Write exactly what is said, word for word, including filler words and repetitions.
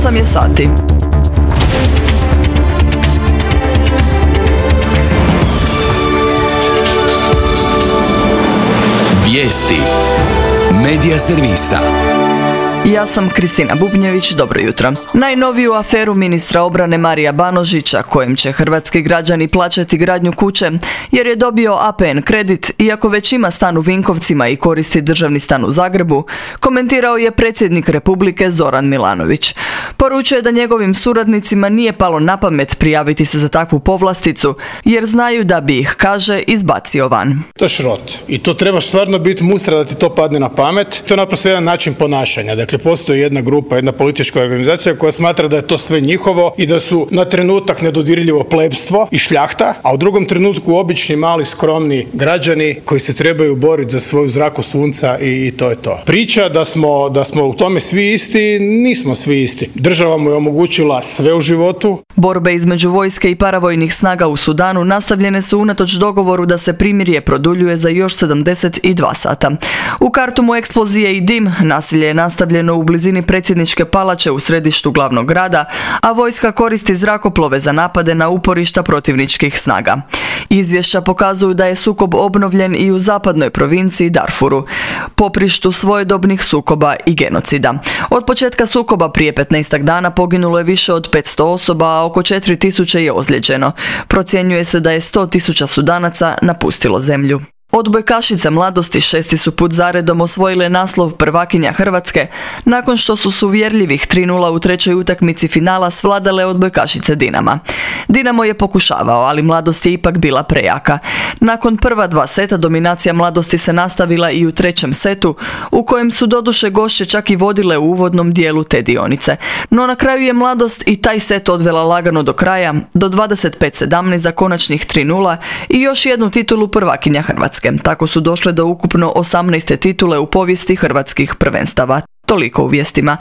osam je sati. Vijesti Medija servisa. Ja sam Kristina Bubnjević, dobro jutro. Najnoviju aferu ministra obrane Marija Banožića, kojem će hrvatski građani plaćati gradnju kuće, jer je dobio A P N kredit, iako već ima stan u Vinkovcima i koristi državni stan u Zagrebu, komentirao je predsjednik Republike Zoran Milanović. Poručuje da njegovim suradnicima nije palo na pamet prijaviti se za takvu povlasticu, jer znaju da bi ih, kaže, izbacio van. To je šrot. I to trebaš stvarno biti mustra da ti to padne na pamet. To je naprosto jedan način ponašanja. Dakle, postoji jedna grupa, jedna politička organizacija koja smatra da je to sve njihovo i da su na trenutak nedodirljivo plebstvo i šljahta, a u drugom trenutku obični, mali, skromni građani koji se trebaju boriti za svoju zraku sunca i, i to je to. Priča da smo, da smo u tome svi isti, nismo svi isti. Država mu je omogućila sve u životu. Borbe između vojske i paravojnih snaga u Sudanu nastavljene su unatoč dogovoru da se primirje produljuje za još sedamdeset dva sata. U Kartumu eksplozije i dim, nasilje je nastavljeno u blizini predsjedničke palače u središtu glavnog grada, a vojska koristi zrakoplove za napade na uporišta protivničkih snaga. Izvješća pokazuju da je sukob obnovljen i u zapadnoj provinciji Darfuru, poprištu svojedobnih sukoba i genocida. Od početka sukoba prije petnaestak dana poginulo je više od petsto osoba, a oko četiri tisuće je ozlijeđeno. Procjenjuje se da je sto tisuća Sudanaca napustilo zemlju. Odbojkašice mladosti šesti su put zaredom osvojile naslov prvakinja Hrvatske, nakon što su s uvjerljivih tri nula u trećoj utakmici finala svladale odbojkašice Dinama. Dinamo je pokušavao, ali mladost je ipak bila prejaka. Nakon prva dva seta dominacija mladosti se nastavila i u trećem setu, u kojem su doduše gošće čak i vodile u uvodnom dijelu te dionice. No na kraju je mladost i taj set odvela lagano do kraja, do dvadeset pet sedamnaest za konačnih tri nula i još jednu titulu prvakinja Hrvatske. Tako su došle do ukupno osamnaeste titule u povijesti hrvatskih prvenstava. Toliko u vijestima.